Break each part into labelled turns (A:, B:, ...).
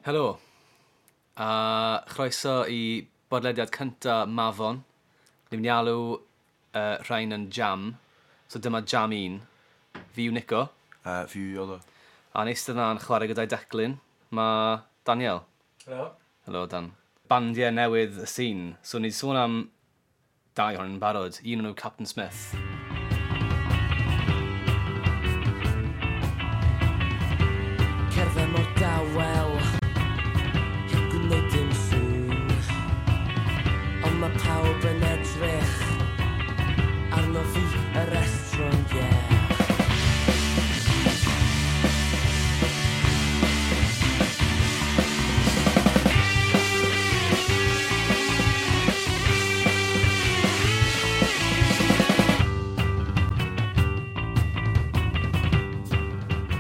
A: Helo, a chroeso i bodlediad cynta Mafon. Ni'n mynd i alw rhain yn Jam. So dyma Jam 1. Fi yw Nico.
B: A fi yw Iolo.
A: A yn eistedd yna'n chwarae gyda'i declyn, mae Daniel.
C: Helo.
A: Helo, Dan. Bandiau newydd y sîn. So ni wedi sôn am dau ohonyn nhw'n barod. Un o'n nhw Captain Smith.
D: Cerdded mor dawel, heb gwneud dim sŵn. Ond mae pawb yn edrych arno fi, yr estron, yeah.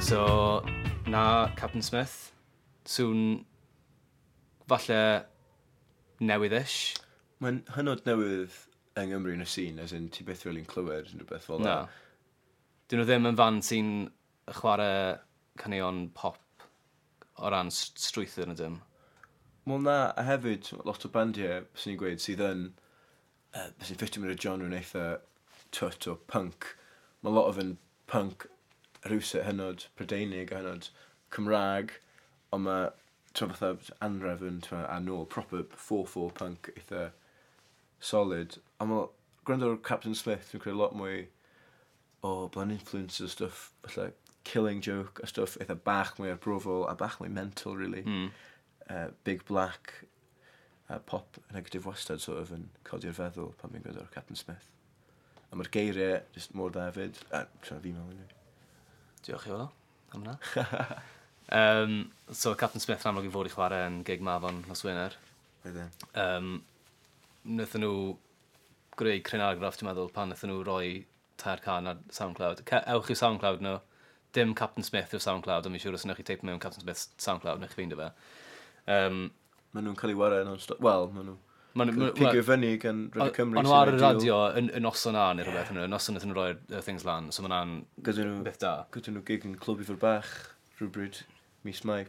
A: So, na Captain Smith. Sŵn falle newydd-ish.
B: Mae'n hynod newydd yng Nghymru yn y sîn, as in ti byth really'n clywed unrhyw beth fel
A: Na.
B: 'na.
A: Dyn nhw ddim yn fan sy'n chwarae caneuon pop o ran strwythur na dim.
B: Wel na, a hefyd, lot o bandiau, byswn i'n gweud, sydd yn, byswn i'n ffitio mewn i'r genre yn eitha twt o punk. Mae lot o fe'n punk rhywsut hynod Prydeinig a hynod Cymraeg, ond mae, ti'n fatha Anrefn, ti'n a nôl, proper 4-4 punk eitha solid. A mae, gwrando ar Captain Smith, dwi'n credu lot mwy o blaen influence a stuff, fatha Killing Joke a stuff eitha bach mwy arbrofol a bach mwy mental, really. Big Black, pop negatif wastad sort of yn codi'r feddwl pan fi'n gwrando ar Captain Smith. A mae'r geiriau just mor dda hefyd, a ti'n fi'n meddwl anyway.
A: Diolch i Iolo am hwnna. So Captain Smith yn amlwg i fod i chwarae yn gig Mafon nos Wener.
B: Wedyn.
A: Wnaethon nhw greu cryn argraff, dwi'n meddwl, pan wnaethon nhw roi 3 can ar SoundCloud. Ewch i'w SoundCloud nhw. Dim Captain Smith yw'r SoundCloud, ond mi'n siŵr os wnewch chi teip mewn Captain Smith SoundCloud, wnewch chi ffeindio fe.
B: Maen nhw'n cael ei wario non-stop. Wel, maen nhw
A: Ma' nhw-
B: cael eu
A: ma'
B: pigo fyny gan Radio Cymru.
A: O'n nhw
B: sy'n
A: ar y
B: ideal.
A: radio yn noson na neu rhywbeth, yn y noson wnaethon nhw roi'r things lan, so ma' hwnna'n
B: Gyda nhw,
A: beth da.
B: gyda nhw gig yn Clwb Ifor Bach rhywbryd mis Mai.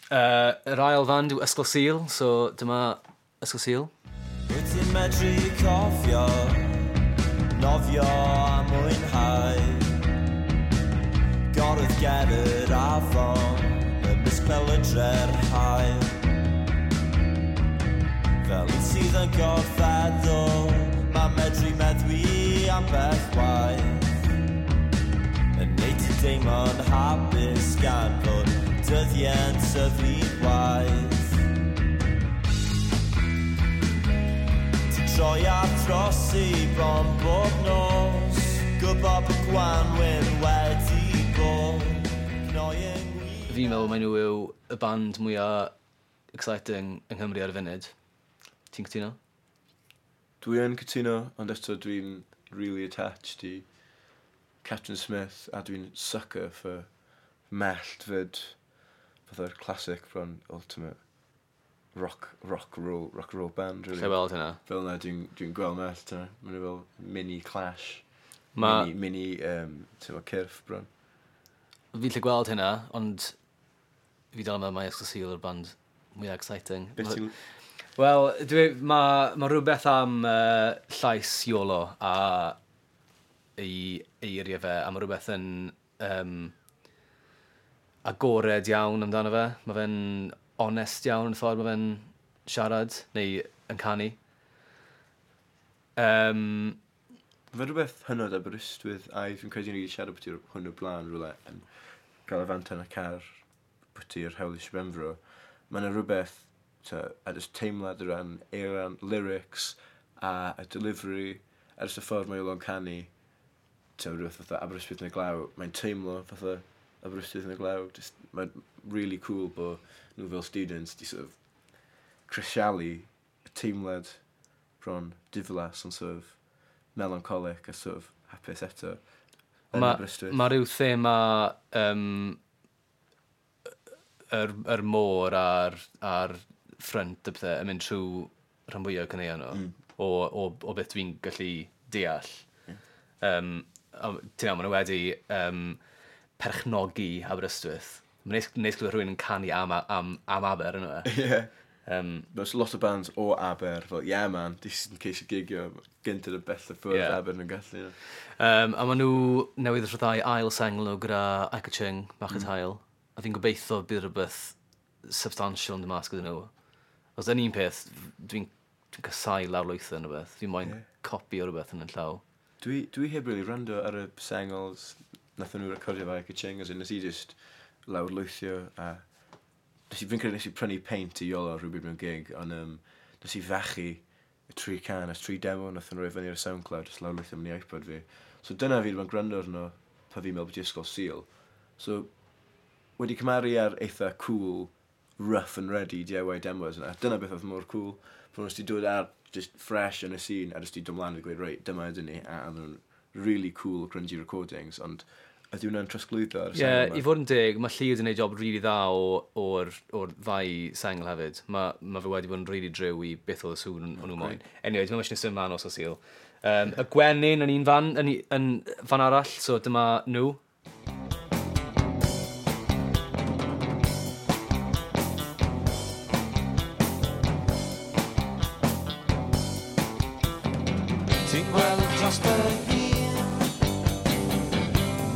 A: Yr ail fand yw Ysgol Sul, so dyma Ysgol Sul.
E: Wyt ti'n medru cofio, nofio a mwynhau. Gorwedd ger yr afon, ymysg pelydre'r haul. Fel un sydd yn gorfeddwl, mae medru meddwi ambell waith. Yn neud ti deimlo'n hapus gan fod dyddiau'n tyfu'n waith. Ti'n troi a trosi bron bob nos, gwybod bod gwanwyn wedi bod. Cnoi yng ngwyneb.
A: Fi'n meddwl mai nhw yw y band mwyaf exciting yng Nghymru ar y funud. Ti'n cytuno?
B: Dwi yn cytuno, ond eto dwi'n really attached i Captain Smith a dwi'n sucker for Mellt fyd, fatha'r classic bron ultimate rock roll band, really.
A: Lle weld hynna?
B: Fel yna dwi'n dwi gweld Mellt yna. Maen nhw fel mini Clash. Mini ti'n meddwl, Cyrff bron.
A: Fi'n lle gweld hynna, ond fi dal yn meddwl mai Ysgol Sul yw'r band mwyaf exciting.
B: Beth ti'n...
A: Wel, ma rhywbeth am llais Iolo a ei eiriau fe, a mae rhywbeth yn agored iawn amdano fe. Mae fe'n onest iawn yn y ffordd mae fe'n siarad, neu yn canu.
B: Mae rhywbeth hynod Aberystwyth, a fi'n credu ni wedi siarad beth hwn o blaen rhywle yn gael y fanta yn y car bwyty'r hewl i Sir Benfro. Mae yna rhywbeth, a jyst teimlad o ran eiran, lyrics a y delivery, a jyst y ffordd mae Iolo'n canu, rhywbeth fatha Aberystwyth yn y glaw, mae'n teimlo fatha Aberystwyth yn y glaw. Just, mae'n really cool bod nhw fel students di sort of crisialu y teimlad bron diflas ond sort of melancholic a sort of hapus eto yn Aberystwyth.
A: Ma rhyw thema yr môr a'r ffrynt y pethau yn mynd trwy rhan fwyaf o caneuon nhw, o beth dwi'n gallu deall. A ti'n iawn, maen nhw wedi perchnogi Aberystwyth. Mae'n neis clywed rhywun yn canu am Aber, yna.
B: Ie. There's lot o bands o Aber, fel, yeah man, di sy'n ceisio gigio gynt yn y bell y ffwrdd
A: Ie.
B: Aber nhw'n gallu. Ie.
A: A maen nhw newydd rhyddhau ail sengl nhw gyda Echo Ching, Bach y Tail. A fi'n gobeithio bydd rhywbeth substantial yn dod mas gyda nhw. Os yn un peth, dwi'n casau lawrlwytho yn rhywbeth. Fi'n moyn copi o rhywbeth yn y llaw.
B: Dwi heb really rando ar y sengls nath nhw recordio fe Echo Ching, as in nes i just lawrlwythio a fi'n credu nes i prynu paint i Iolo rhywbryd mewn gig, ond nes i fachu y tri can, y tri demo nath nhw roi fyny ar y SoundCloud, just lawrlwythio mewn i iPod fi. So dyna fi wedi bod yn gwrando arno pan fi'n meddwl bod i ysgol Sul. So wedi cymaru ar eitha cool, rough and ready DIY demos yna. Dyna beth oedd mor cool. Bod nhw wedi dod ar just fresh yn y scene a just wedi dod mlaen a gweud, reit, dyma ydyn ni, a nhw'n really cool grungy recordings, ond ydy hwnna'n trosglwyddo ar y
A: Ie,
B: sengl yma?
A: i fod yn deg, mae Llyr wedi gwneud job rili dda o'r ddau sengl hefyd. Mae fe wedi bod yn rili driw i beth oedd y sŵn o'n nhw moyn. Anyway, dwi'n meddwl symud mlaen os o Sul. Y Gwenyn yn un fan, yn fan arall, so dyma nhw.
D: Ti'n gweld dros dy hun.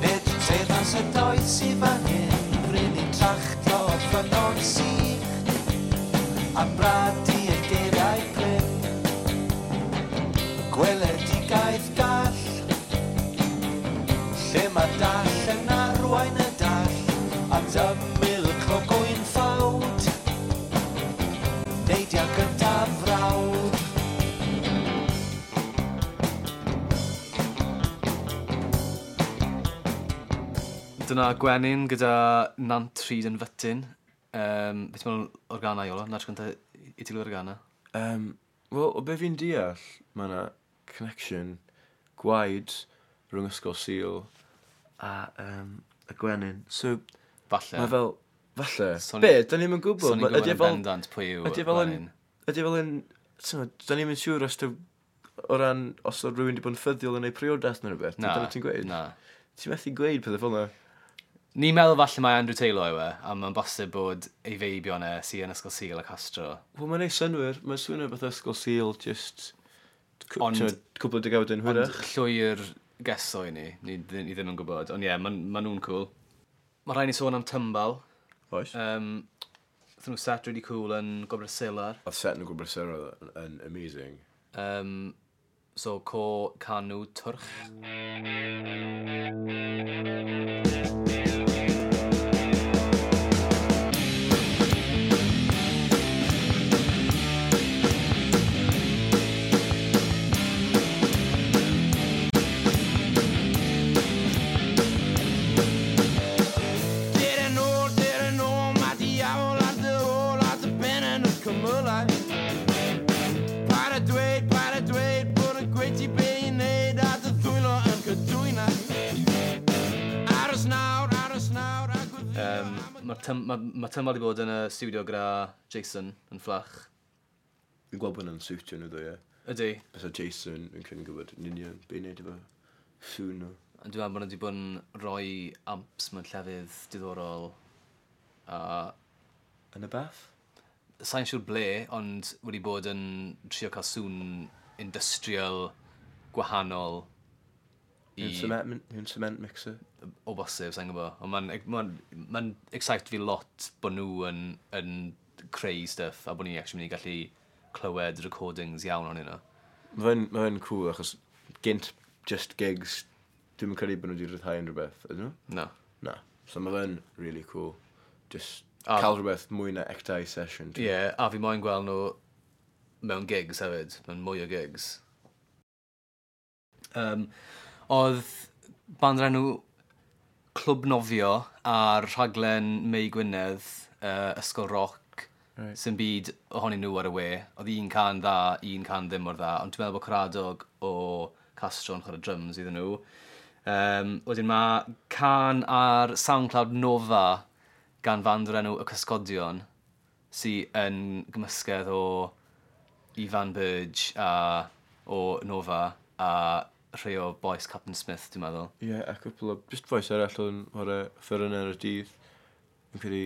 D: Nid teyrnas y doeth sydd fan hyn. Bryn i'n tracto ffynnon sych a bradu y geiriau prin. Gweledigaeth gall, lle mae dall yn arwain y dall at ymyl clogwyn ffawd. Neidia gyda frawd.
A: Dyna Gwenyn gyda Nant Rhyd yn Fytyn. Beth ti'n meddwl o'r gana, Iolo? Na'r tro cyntaf i ti glywed y gana?
B: Wel, o be fi'n deall, mae yna connection gwaed rhwng Ysgol Sul a y Gwenyn. So,
A: Falle.
B: mae fel, falle.
A: So ni-
B: Be, da ni'm yn gwybod.
A: So ni'n
B: Ydy
A: gwybod
B: e
A: yn
B: fel,
A: bendant pwy yw
B: ydy e fel yn,
A: Gwenyn.
B: ydy e fel yn, t'mod, da ni'm yn siŵr os o ran, os oedd rhywun wedi bod yn ffyddiol yn ei priodas neu rhywbeth.
A: Na,
B: Dyna ti'n gweud?
A: na.
B: Ti'n methu gweud pethau fel yna.
A: Ni'n meddwl falle mae Andrew Taylor yw e, a mae'n bosib bod ei feibion e sy'n yn Ysgol Sul a Castro.
B: Wel, mae'n neud synnwyr. Mae'n swnio fatha Ysgol Sul, just
A: Ond-
B: t'mod, cwpl o degawdau yn
A: Ond
B: hwyrach.
A: llwyr geso i ni, ni ddim yn gwybod. Ond ie, yeah, maen ma nhw'n cool. Mae rhaid ni sôn am Tymbal.
B: Oes.
A: Wnaethon nhw set really cool yn Gobr Selar.
B: Oedd set yn Gobr Selar yn amazing.
A: So, co Canw Twrch.
D: Dere nôl, dere nôl, mae diawl ar dy ôl a dy ben yn y cymylau. Paid a dweud, paid a dweud, bod y gweud ti be i wneud a dy ddwylo yn cydwynau. Aros nawr, aros nawr, a gwyddio
A: Mae Tymbal wedi bod yn y studio gyda Jason yn Fflach.
B: Fi'n gweld bod hwnna'n siwtio nhw ddo, ie.
A: Ydy.
B: Bysa Jason, fi'n credu'n gwybod yn union be i wneud efo sŵn nhw.
A: Ond dwi'n meddwl bod nhw wedi bod yn rhoi amps mewn llefydd diddorol. A
B: Yn y bath?
A: sa'n siŵr ble, ond wedi bod yn trio cael sŵn industrial gwahanol i
B: Mewn cement mixer.
A: o bosib, sa'n gwybod. Ond mae'n ma excite fi lot bod nhw yn creu stuff a bod ni actually mynd i gallu clywed recordings iawn ohonyn nhw.
B: Mae fe'n ma fe'n cool achos gynt just gigs, dwi'm yn credu bod nhw wedi rhyddhau unrhyw beth, ydyn nhw?
A: No.
B: Na. So mae fe'n really cool. Just cael rhywbeth mwy na ectau session.
A: Ie, yeah, a fi moyn gweld nhw mewn gigs hefyd, mewn mwy o gigs. Oedd band o'r enw Clwb Nofio ar rhaglen Mei Gwynedd, Ysgol Roc, sy'n byd ohonyn nhw ar y we. Oedd un can dda, un can ddim mor dda, ond dwi'n meddwl bod Caradog o Castro yn chwarae drums iddyn nhw. Wedyn mae can ar SoundCloud Nova gan fand o'r enw Y Cysgodion, sy'n yn gymysgedd o Ifan Burge a o Nova a rhai o boys Captain Smith, dwi'n meddwl.
B: Ie, yeah, a cwpl o... Just voice arall o'n chwarae ffyryn ar y dydd. Fi'n credu...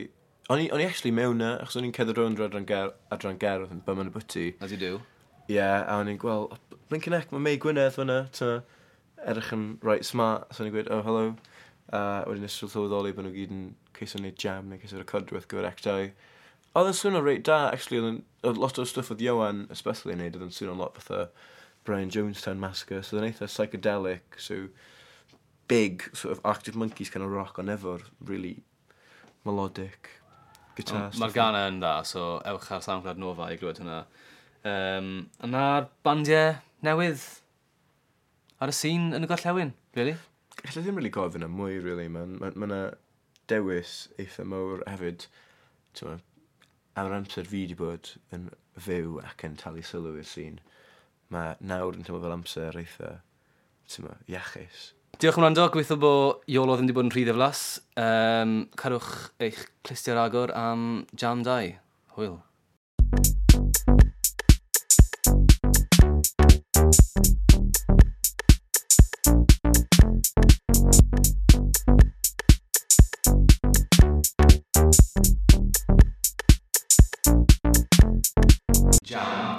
B: O'n i actually mewn na, achos o'n i'n cerdded rownd yr adran gerdd yn bum yn y bwyty.
A: As you do.
B: Ie, yeah, a o'n i'n gweld, oh, blinking heck, mae Mei Gwynedd fyna, ta, edrych yn right smart, so o'n i'n gweud, "Oh, hello." A wedyn nes i sylweddoli bod nhw gyd yn ceisio wneud jam neu ceisio recordio rhywbeth gyfer Act. Oedd yn swnio reit da, actually, oedd lot o stwff oedd Iwan, especially, yn neud, oedd yn swnio lot fatha Brian Jonestown Massacre, so oedd yn eitha psychedelic, so big, sort of Arctic Monkeys kind of rock, ond efo'r really melodic guitar
A: Mae'r
B: stuff.
A: gana yn dda, so ewch ar SoundCloud Nova i glywed hwnna. A na'r bandiau newydd ar y sîn yn y gorllewin, really.
B: Alla ddim really gofyn am mwy, really. Mae'n ma dewis eitha mawr hefyd. T'mo, am yr amser fi wedi bod yn fyw ac yn talu sylw i'r sîn, mae nawr yn teimlo fel amser eitha, t'mo, iachus.
A: Diolch am wrando, gobeithio bod Iolo ddim wedi bod yn rhy ddiflas. Cadwch eich clustiau ar agor am Jam 2. Hwyl.